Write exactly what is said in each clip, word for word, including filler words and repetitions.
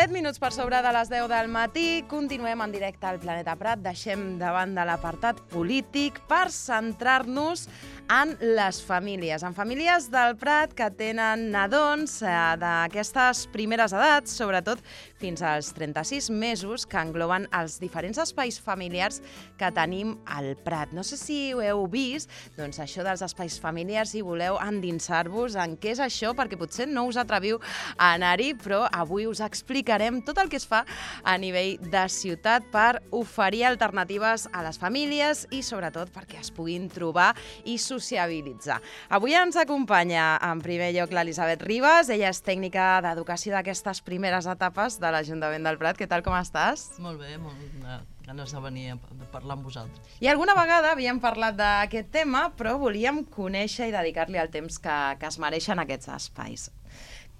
set minuts per sobre de les deu del matí, continuem en directe al Planeta Prat, deixem davant de l'apartat polític per centrar-nos en les famílies, en famílies del Prat que tenen nadons eh, d'aquestes primeres edats, sobretot fins als trenta-sis mesos, que engloben els diferents espais familiars que tenim al Prat. No sé si ho heu vist, doncs això dels espais familiars, i voleu endinsar-vos en què és això, perquè potser no us atreviu a anar-hi, però avui us explicarem tot el que es fa a nivell de ciutat per oferir alternatives a les famílies i sobretot perquè es puguin trobar i sociabilitzar. Avui ens acompanya en primer lloc l'Elisabet Ribas, ella és tècnica d'educació d'aquestes primeres etapes de l'Ajuntament del Prat. Què tal, com estàs? Molt bé, molt de ganes de venir a parlar amb vosaltres. I alguna vegada havíem parlat d'aquest tema, però volíem conèixer i dedicar-li el temps que, que es mereixen aquests espais.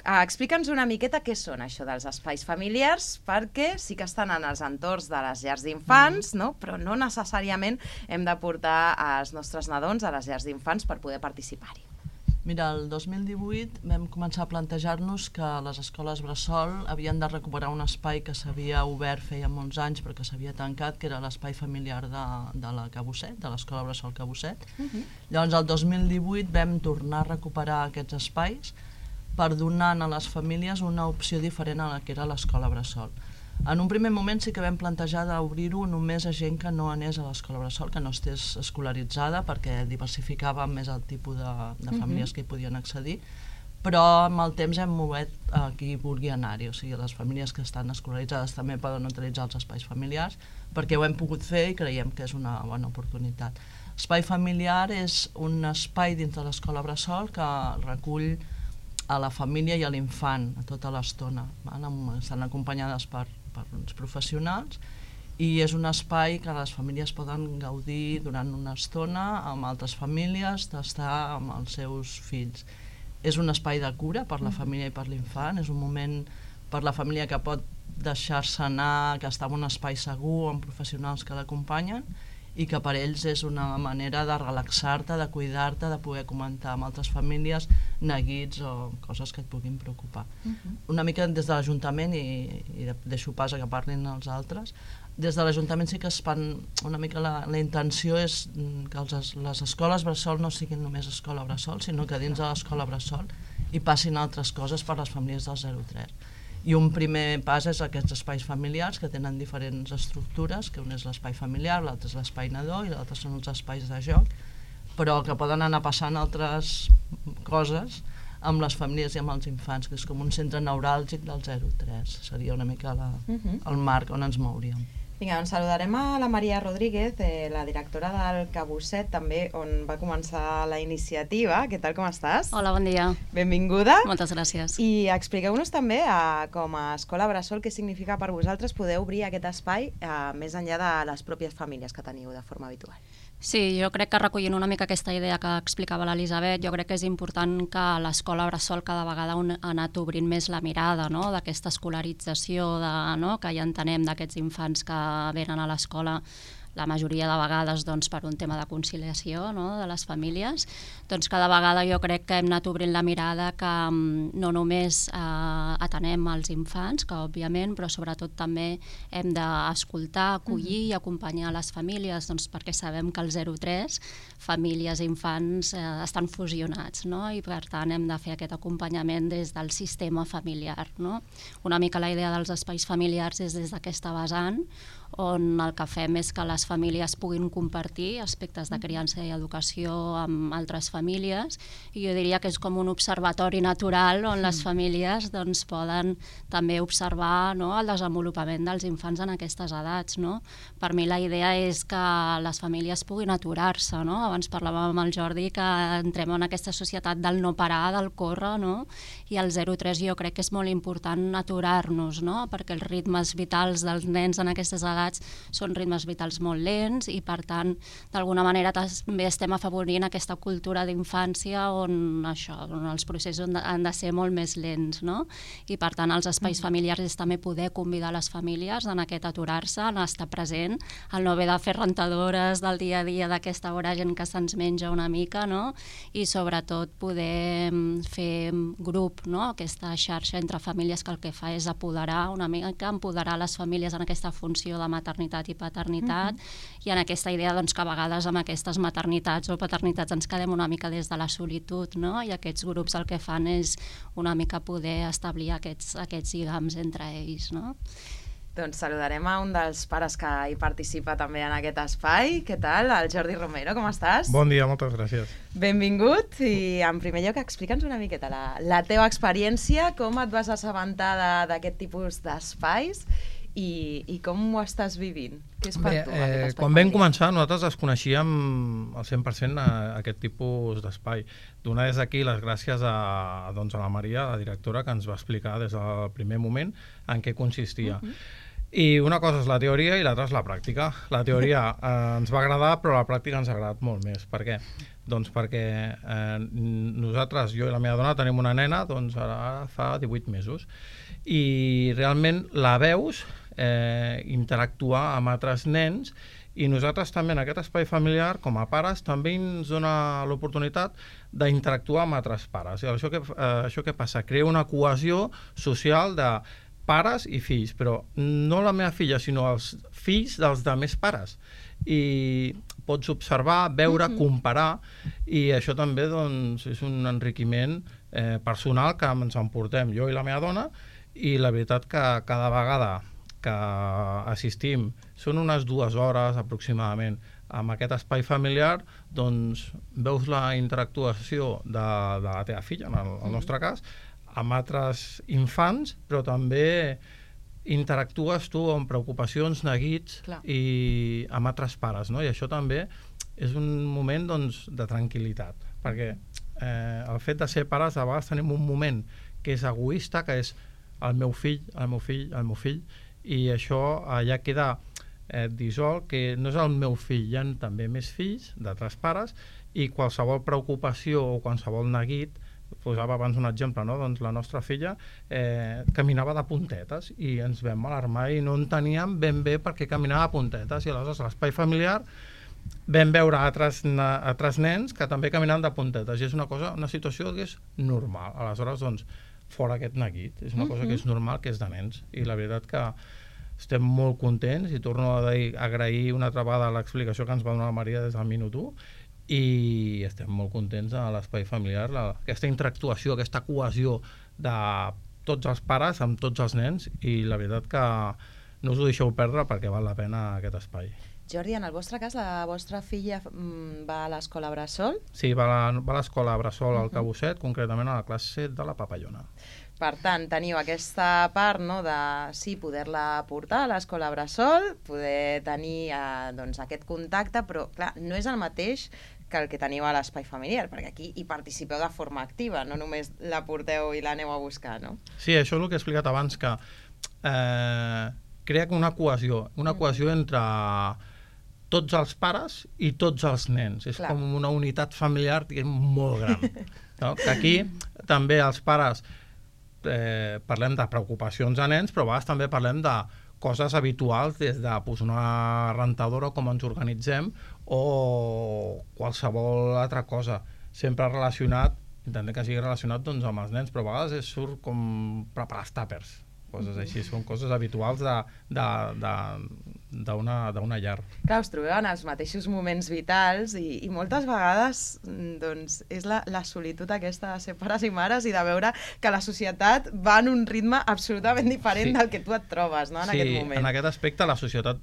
Uh, Explica'ns una miqueta què són això dels espais familiars, perquè sí que estan en els entorns de les llars d'infants, mm. no? Però no necessàriament hem de portar els nostres nadons a les llars d'infants per poder participar-hi. Mira, el dos mil divuit vam començar a plantejar-nos que les escoles bressol havien de recuperar un espai que s'havia obert feia molts anys però que s'havia tancat, que era l'espai familiar de, de la Cabusset, de l'escola bressol Cabusset. Uh-huh. Llavors, el dos mil divuit vam tornar a recuperar aquests espais per donar a les famílies una opció diferent a la que era l'escola bressol. En un primer moment sí que vam plantejar d'obrir-ho només a gent que no anés a l'escola bressol, que no estés escolaritzada, perquè diversificava més el tipus de, de famílies que hi podien accedir, però amb el temps hem mogut a qui vulgui anar-hi, o sigui, les famílies que estan escolaritzades també poden utilitzar els espais familiars, perquè ho hem pogut fer i creiem que és una bona oportunitat. Espai familiar és un espai dins de l'escola bressol que recull a la família i a l'infant a tota l'estona. Estan acompanyades per, per uns professionals i és un espai que les famílies poden gaudir durant una estona amb altres famílies, d'estar amb els seus fills. És un espai de cura per la família i per l'infant, és un moment per la família que pot deixar-se anar, que està en un espai segur amb professionals que l'acompanyen i que per ells és una manera de relaxar-te, de cuidar-te, de poder comentar amb altres famílies neguits o coses que et puguin preocupar. Uh-huh. Una mica des de l'Ajuntament, i, i deixo pas a que parlin els altres, des de l'Ajuntament sí que es fan una mica la, la intenció és que els, les escoles bressol no siguin només escola bressol, sinó que dins de l'escola bressol hi passin altres coses per les famílies del zero tres. I un primer pas és aquests espais familiars que tenen diferents estructures, que un és l'espai familiar, l'altre és l'espai nadó i l'altre són els espais de joc, però que poden anar passant altres coses amb les famílies i amb els infants, que és com un centre neuràlgic del zero tres. Seria una mica la, uh-huh. el marc on ens mouríem. Vinga, doncs saludarem a la Maria Rodríguez, eh, la directora del Cabusset, també on va començar la iniciativa. Què tal, com estàs? Hola, bon dia. Benvinguda. Moltes gràcies. I expliqueu-nos també, eh, com a Escola Bressol, què significa per vosaltres poder obrir aquest espai eh, més enllà de les pròpies famílies que teniu de forma habitual. Sí, jo crec que recollint una mica aquesta idea que explicava l'Elisabet, jo crec que és important que l'escola bressol cada vegada ha anat obrint més la mirada, no?, d'aquesta escolarització, de, no?, que ja entenem d'aquests infants que venen a l'escola la majoria de vegades doncs, per un tema de conciliació, no?, de les famílies. Doncs cada vegada jo crec que hem anat obrint la mirada que no només eh, atenem els infants, que òbviament, però sobretot també hem d'escoltar, acollir i acompanyar les famílies, doncs, perquè sabem que el zero tres, famílies i infants, eh, estan fusionats, no?, i per tant hem de fer aquest acompanyament des del sistema familiar, no? Una mica la idea dels espais familiars és des d'aquesta vessant, on el que fem és que les famílies puguin compartir aspectes de criança i educació amb altres famílies, i jo diria que és com un observatori natural on les famílies doncs, poden també observar, no?, el desenvolupament dels infants en aquestes edats, no? Per mi la idea és que les famílies puguin aturar-se, no? Abans parlàvem amb el Jordi que entrem en aquesta societat del no parar, del córrer, no? I el zero tres jo crec que és molt important aturar-nos, no?, perquè els ritmes vitals dels nens en aquestes edats edats són ritmes vitals molt lents i, per tant, d'alguna manera també estem afavorint aquesta cultura d'infància on això, on els processos han de, han de ser molt més lents, no? I, per tant, els espais mm. familiars és també poder convidar les famílies en aquest aturar-se, en estar present, el no haver de fer rentadores del dia a dia d'aquesta hora, gent que se'ns menja una mica, no? I, sobretot, poder fer grup, no? Aquesta xarxa entre famílies que el que fa és apoderar una mica, empoderar les famílies en aquesta funció de maternitat i paternitat mm-hmm. i en aquesta idea doncs, que a vegades amb aquestes maternitats o paternitats ens quedem una mica des de la solitud, no? I aquests grups el que fan és una mica poder establir aquests, aquests lligams entre ells, no? Doncs saludarem a un dels pares que hi participa també en aquest espai. Què tal? El Jordi Romero, com estàs? Bon dia, moltes gràcies. Benvingut i en primer lloc explica'ns una miqueta la, la teva experiència, com et vas assabentar d'aquest tipus d'espais i, i com ho estàs vivint? Què és per Bé, tu? Eh, quan vam començar nosaltres desconeixíem al cent per cent a, a aquest tipus d'espai. Donar des d'aquí les gràcies a, doncs a la Maria, la directora, que ens va explicar des del primer moment en què consistia. Uh-huh. I una cosa és la teoria i l'altra és la pràctica. La teoria eh, ens va agradar, però la pràctica ens ha agradat molt més. Per què? Doncs perquè eh, nosaltres, jo i la meva dona, tenim una nena, doncs ara fa divuit mesos. I realment la veus eh, interactuar amb altres nens i nosaltres també en aquest espai familiar, com a pares, també ens dona l'oportunitat d'interactuar amb altres pares. I això que, eh, això que passa? Crea una cohesió social de pares i fills, però no la meva filla, sinó els fills dels altres pares. I pots observar, veure, mm-hmm. comparar, i això també doncs, és un enriquiment eh, personal que ens emportem jo i la meva dona, i la veritat que cada vegada que assistim, són unes dues hores aproximadament, amb aquest espai familiar, doncs veus la interactuació de, de la teva filla, en el, el nostre cas, amb altres infants, però també interactues tu amb preocupacions, neguits Clar. I amb altres pares, no? I això també és un moment doncs, de tranquil·litat, perquè eh, el fet de ser pares a vegades tenim un moment que és egoista, que és el meu fill, el meu fill, el meu fill, i això ja queda eh, dissolt, que no és el meu fill, hi ha també més fills d'altres pares, i qualsevol preocupació o qualsevol neguit, posava abans un exemple, no? Doncs la nostra filla eh, caminava de puntetes i ens vam alarmar i no enteníem ben bé per què caminava de puntetes, i aleshores a l'espai familiar vam veure altres, altres nens que també caminaven de puntetes, i és una cosa, una situació que és normal. Aleshores, doncs, fora aquest neguit, és una cosa que és normal, que és de nens, i la veritat que estem molt contents, i torno a agrair una altra vegada l'explicació que ens va donar la Maria des del minut u, i estem molt contents a l'espai familiar, la, aquesta interactuació, aquesta cohesió de tots els pares amb tots els nens, i la veritat que no us ho deixeu perdre perquè val la pena aquest espai. Jordi, en el vostre cas, la vostra filla va a l'escola Bressol? Sí, va a l'escola Bressol al Cabosset, concretament a la classe de la Papallona. Per tant, teniu aquesta part, no, de sí, poder-la portar a l'escola Bressol, poder tenir eh, doncs, aquest contacte, però clar, no és el mateix que el que teniu a l'espai familiar, perquè aquí hi participeu de forma activa, no només la porteu i l'aneu a buscar, no? Sí, això és el que he explicat abans, que eh, crea una cohesió, una cohesió entre tots els pares i tots els nens. És Clar. Com una unitat familiar molt gran. No? Que aquí també els pares eh, parlem de preocupacions a nens, però a vegades també parlem de coses habituals, des de pues, una rentadora, com ens organitzem, o qualsevol altra cosa, sempre relacionat, intentem que sigui relacionat doncs, amb els nens, però a vegades surt com preparar els tàpers, coses així, són coses habituals de, de, de, d'una llar. Clar, us trobeu en els mateixos moments vitals i, i moltes vegades doncs, és la, la solitud aquesta de ser pares i mares i de veure que la societat va en un ritme absolutament diferent sí. del que tu et trobes, no, en sí, aquest moment. Sí, en aquest aspecte la societat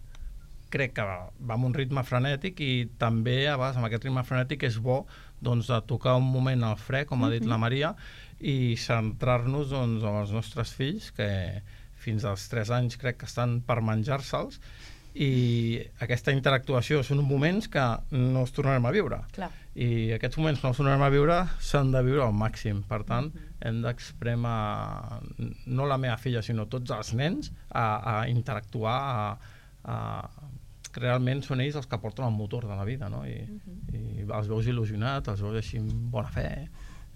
crec que va, va amb un ritme frenètic, i també a vegades amb aquest ritme frenètic és bo doncs, de tocar un moment al fre, com ha dit la Maria, i centrar-nos doncs, en els nostres fills, que fins als tres anys crec que estan per menjar-se'ls, i aquesta interactuació són moments que no els tornarem a viure. Clar. I aquests moments que no els tornarem a viure s'han de viure al màxim. Per tant, uh-huh. hem d'expremar no la meva filla, sinó tots els nens a, a interactuar, a, uh, realment són ells els que porten el motor de la vida, no? I, uh-huh. i els veus il·lusionats, els veus així amb bona fe,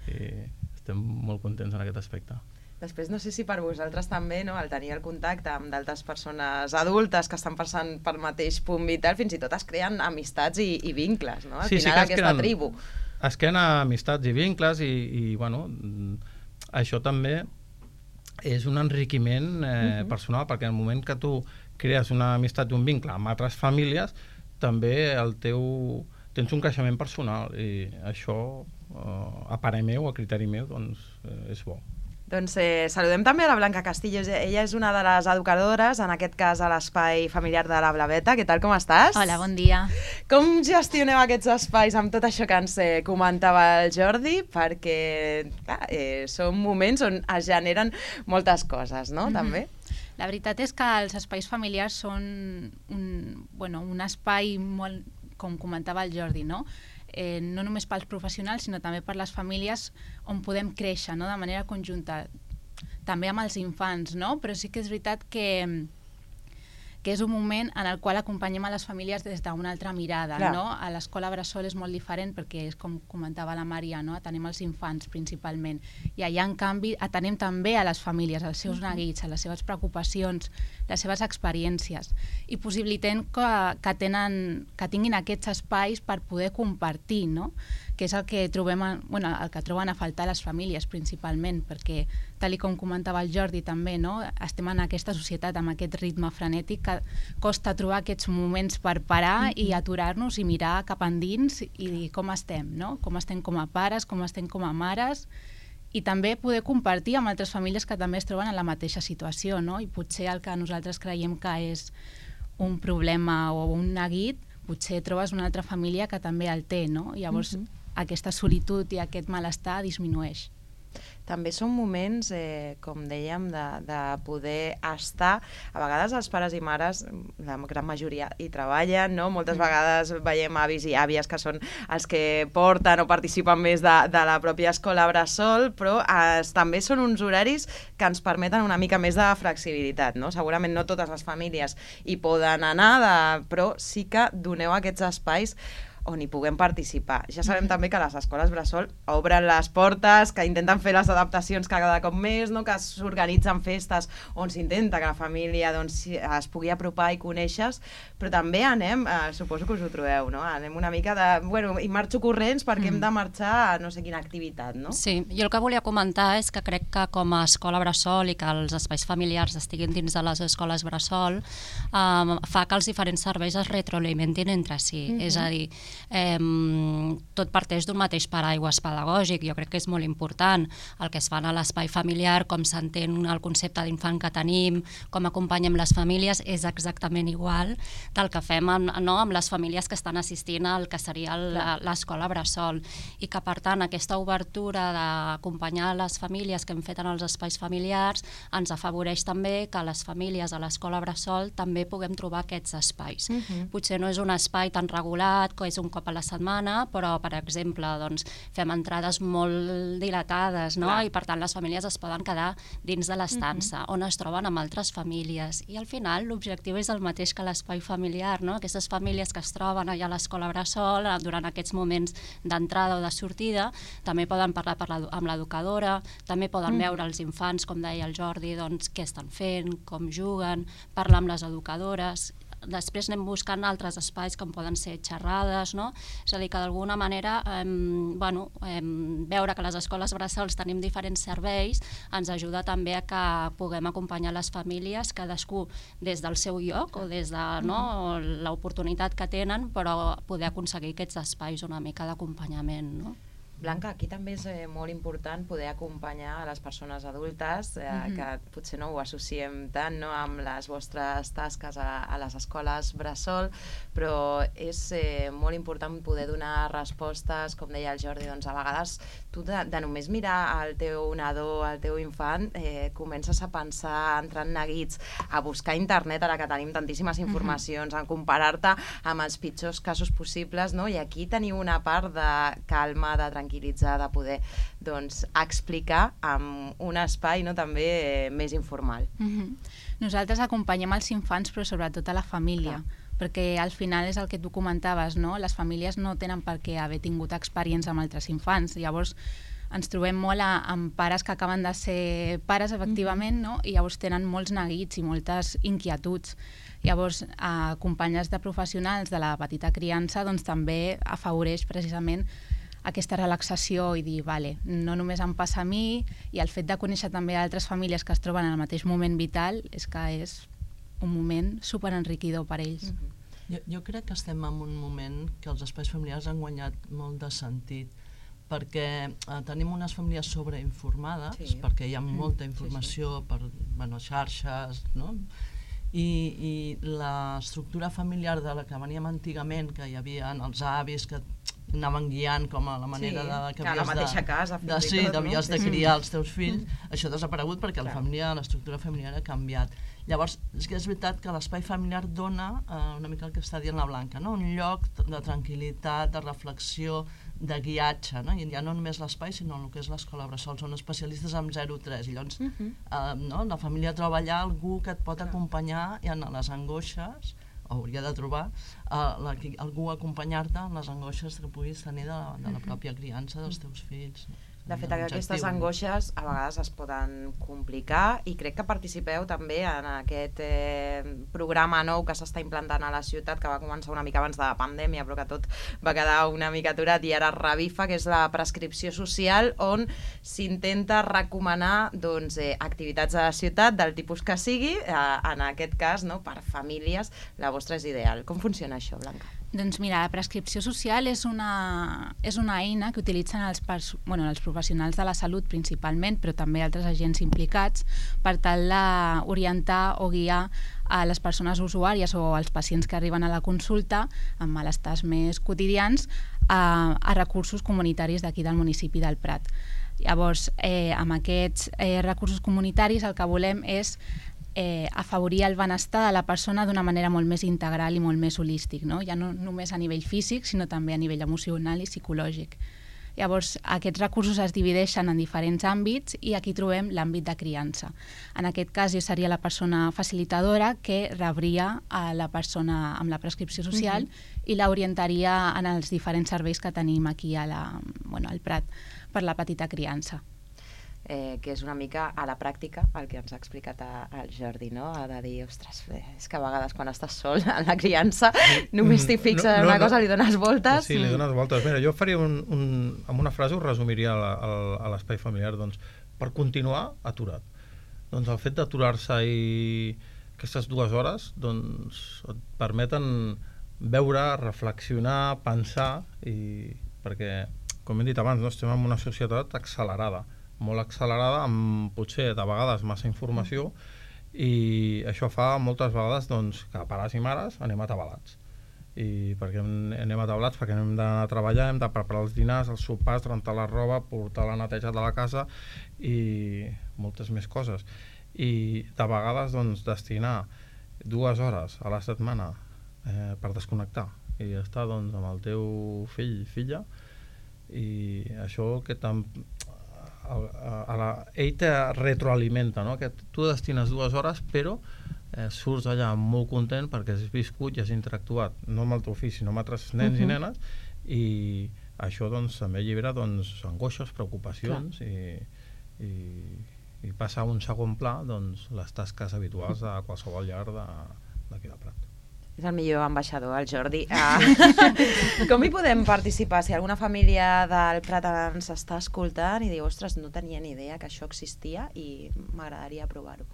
i estem molt contents en aquest aspecte. Després, no sé si per vosaltres també, no, el tenir el contacte amb d'altres persones adultes que estan passant pel mateix punt vital, fins i tot es creen amistats i, i vincles, no? Al sí, final, sí aquesta creen, tribu. Es creen amistats i vincles i, i bueno, això també és un enriquiment eh, uh-huh. personal, perquè en el moment que tu crees una amistat i un vincle amb altres famílies, també el teu, tens un creixement personal i això, eh, a parer meu, a criteri meu, doncs eh, és bo. Doncs eh, saludem també a la Blanca Castillo. Ella és una de les educadores, en aquest cas a l'espai familiar de la Blaveta. Què tal, com estàs? Hola, bon dia. Com gestioneu aquests espais amb tot això que ens eh, comentava el Jordi? Perquè clar, eh, són moments on es generen moltes coses, no? Mm-hmm. També. La veritat és que els espais familiars són un, bueno, un espai molt, com comentava el Jordi, no? Eh, no només pels professionals, sinó també per les famílies on podem créixer, no? De manera conjunta, també amb els infants, no? Però sí que és veritat que, que és un moment en el qual acompanyem a les famílies des d'una altra mirada, no? A l'escola Bressol és molt diferent perquè és com comentava la Maria, no? Atenem els infants principalment, i allà en canvi atenem també a les famílies, als seus neguits, a les seves preocupacions, les seves experiències, i possibilitem que, que, tenen, que tinguin aquests espais per poder compartir, no? Que és el que trobem, bueno, el que troben a faltar les famílies principalment, perquè tal com comentava el Jordi també, no? Estem en aquesta societat amb aquest ritme frenètic que costa trobar aquests moments per parar i aturar-nos i mirar cap endins i dir com estem, no? Com estem com a pares, com estem com a mares, i també poder compartir amb altres famílies que també es troben en la mateixa situació, no? I potser el que nosaltres creiem que és un problema o un neguit, potser trobes una altra família que també el té, no? I llavors uh-huh. aquesta solitud i aquest malestar disminueix. També són moments, eh, com dèiem, de, de poder estar. A vegades els pares i mares, la gran majoria, hi treballen, no? Moltes mm. vegades veiem avis i àvies que són els que porten o participen més de, de la pròpia escola Bressol, però eh, també són uns horaris que ens permeten una mica més de flexibilitat, no? Segurament no totes les famílies hi poden anar, de, però sí que doneu aquests espais on hi puguem participar. Ja sabem també que les escoles Bressol obren les portes, que intenten fer les adaptacions cada cop més, no? Que s'organitzen festes on s'intenta que la família doncs, es pugui apropar i conèixer, però també anem, eh, suposo que us ho trobeu, no? Anem una mica de... Bueno, i marxo corrents perquè mm. hem de marxar a no sé quina activitat, no? Sí, jo el que volia comentar és que crec que com a escola Bressol i que els espais familiars estiguin dins de les escoles Bressol eh, fa que els diferents serveis es retroalimentin entre si. Mm-hmm. És a dir, Eh, tot parteix d'un mateix paraigües pedagògic. Jo crec que és molt important el que es fa a l'espai familiar, com s'entén el concepte d'infant que tenim, com acompanyem les famílies, és exactament igual del que fem amb, no, amb les famílies que estan assistint al que seria l'escola Bressol, i que per tant aquesta obertura d'acompanyar les famílies que hem fet en els espais familiars ens afavoreix també que les famílies a l'escola Bressol també puguem trobar aquests espais. Uh-huh. Potser no és un espai tan regulat, que és un cop a la setmana, però, per exemple, doncs, fem entrades molt dilatades, no? I per tant les famílies es poden quedar dins de l'estança, uh-huh. on es troben amb altres famílies. I al final l'objectiu és el mateix que l'espai familiar, no? Aquestes famílies que es troben allà a l'escola Bressol durant aquests moments d'entrada o de sortida, també poden parlar per la, amb l'educadora, també poden uh-huh. veure els infants, com deia el Jordi, doncs, què estan fent, com juguen, parlar amb les educadores. Després anem buscant altres espais com poden ser xerrades, no? És a dir, que d'alguna manera eh, bueno, eh, veure que les escoles Bressols tenim diferents serveis ens ajuda també a que puguem acompanyar les famílies, cadascú des del seu lloc o des de no, l'oportunitat que tenen, però poder aconseguir aquests espais una mica d'acompanyament, no? Blanca, aquí també és eh, molt important poder acompanyar a les persones adultes eh, mm-hmm. que potser no ho associem tant, no, amb les vostres tasques a, a les escoles Bressol, però és eh, molt important poder donar respostes, com deia el Jordi, doncs a vegades tu de, de només mirar el teu nadó, el teu infant, eh, comences a pensar, entrant neguits, a buscar a internet, ara que tenim tantíssimes informacions, mm-hmm. a comparar-te amb els pitjors casos possibles, no? I aquí teniu una part de calma, de tranquil·litat, tranquil·litzar, de poder doncs, explicar amb un espai no, també eh, més informal. Mm-hmm. Nosaltres acompanyem els infants, però sobretot a la família, clar, perquè al final és el que tu comentaves, no? Les famílies no tenen per què haver tingut experiència amb altres infants, llavors ens trobem molt a, amb pares que acaben de ser pares, efectivament, no? I llavors tenen molts neguits i moltes inquietuds. Llavors, acompanyats de professionals de la petita criança, doncs també afavoreix precisament aquesta relaxació i dir, vale, no només em passa a mi, i el fet de conèixer també altres famílies que es troben en el mateix moment vital és que és un moment superenriquidor per ells. Mm-hmm. jo, jo crec que estem en un moment que els espais familiars han guanyat molt de sentit, perquè eh, tenim unes famílies sobreinformades, sí, perquè hi ha molta informació, sí, sí, per bueno, xarxes, no? I, i l'estructura familiar de la que veníem antigament, que hi havia els avis que anaven guiant com a la manera, sí, de que, que a la mateixa de, casa, de, sí, tot, havies no? de criar els teus fills, mm. això ha desaparegut perquè la família, l'estructura familiar ha canviat. Llavors, és que és veritat que l'espai familiar dona eh, una mica el que està dient la Blanca, no? Un lloc de tranquil·litat, de reflexió, de guiatge, no? I ja no només l'espai, sinó el que és l'escola bressol, són especialistes en zero tres, i llavors uh-huh. eh, no? La família troba allà algú que et pot acompanyar i en les angoixes, o hauria de trobar uh, la, algú a acompanyar-te en les angoixes que puguis tenir de la, de la pròpia criança dels teus fills. De fet, aquestes angoixes a vegades es poden complicar i crec que participeu també en aquest eh, programa nou que s'està implantant a la ciutat, que va començar una mica abans de la pandèmia, però que tot va quedar una mica aturat i ara revifa, que és la prescripció social, on s'intenta recomanar doncs, eh, activitats a la ciutat del tipus que sigui, eh, en aquest cas, no, per famílies, la vostra és ideal. Com funciona això, Blanca? Doncs mira, la prescripció social és una, és una eina que utilitzen els, bueno, els professionals de la salut principalment, però també altres agents implicats, per tal d'orientar o guiar a les persones usuàries o als pacients que arriben a la consulta amb malestars més quotidians a, a recursos comunitaris d'aquí del municipi del Prat. Llavors, eh, amb aquests eh, recursos comunitaris el que volem és Eh, afavorir el benestar de la persona d'una manera molt més integral i molt més holístic, no? Ja no només a nivell físic, sinó també a nivell emocional i psicològic. Llavors, aquests recursos es divideixen en diferents àmbits i aquí trobem l'àmbit de criança. En aquest cas, jo seria la persona facilitadora que rebria a la persona amb la prescripció social uh-huh. i l'orientaria en els diferents serveis que tenim aquí a la, bueno, al Prat per la petita criança. Eh, que és una mica a la pràctica el que ens ha explicat el Jordi, no? Ha de dir, ostres, és que a vegades quan estàs sol en la criança només t'hi fixes en no, no, una cosa, no. Li dones voltes. Sí, li dones voltes. Mira, jo faria un, un, amb una frase, ho resumiria a, a, a l'espai familiar, doncs, per continuar aturat. Doncs el fet d'aturar-se i aquestes dues hores doncs, et permeten veure, reflexionar, pensar, i perquè, com hem dit abans, no, estem en una societat accelerada, molt accelerada, amb potser de vegades massa informació, i això fa moltes vegades doncs, que pares i mares anem atabalats. I perquè anem atabalats, perquè hem d'anar a treballar, hem de preparar els dinars, els sopars, rentar la roba, portar la neteja de la casa i moltes més coses. I de vegades doncs, destinar dues hores a la setmana eh, per desconnectar i estar doncs, amb el teu fill, filla, i això que tam A, a la, ell te retroalimenta, no? Que tu destines dues hores però eh, surts allà molt content perquè has viscut i has interactuat no amb el teu fill sinó amb altres nens uh-huh. i nenes, i això doncs, també allibera doncs, angoixes, preocupacions i, i, i passa a un segon pla doncs, les tasques habituals de qualsevol llar d'aquí del Prat. És el millor ambaixador, el Jordi. Ah. Com hi podem participar? Si alguna família del Prat ens està escoltant i diu, ostres, no tenia ni idea que això existia i m'agradaria provar-ho.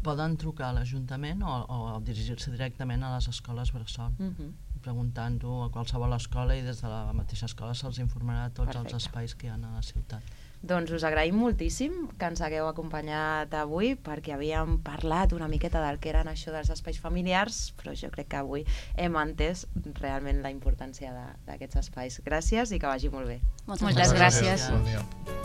Poden trucar a l'Ajuntament o, o dirigir-se directament a les escoles bressol, uh-huh. preguntant-ho a qualsevol escola, i des de la mateixa escola se'ls informarà de tots Perfecte. Els espais que hi ha a la ciutat. Doncs us agraïm moltíssim que ens hagueu acompanyat avui, perquè havíem parlat una miqueta del que eren això dels espais familiars, però jo crec que avui hem entès realment la importància d'aquests espais. Gràcies i que vagi molt bé. Moltes, Moltes gràcies. gràcies. Bon dia.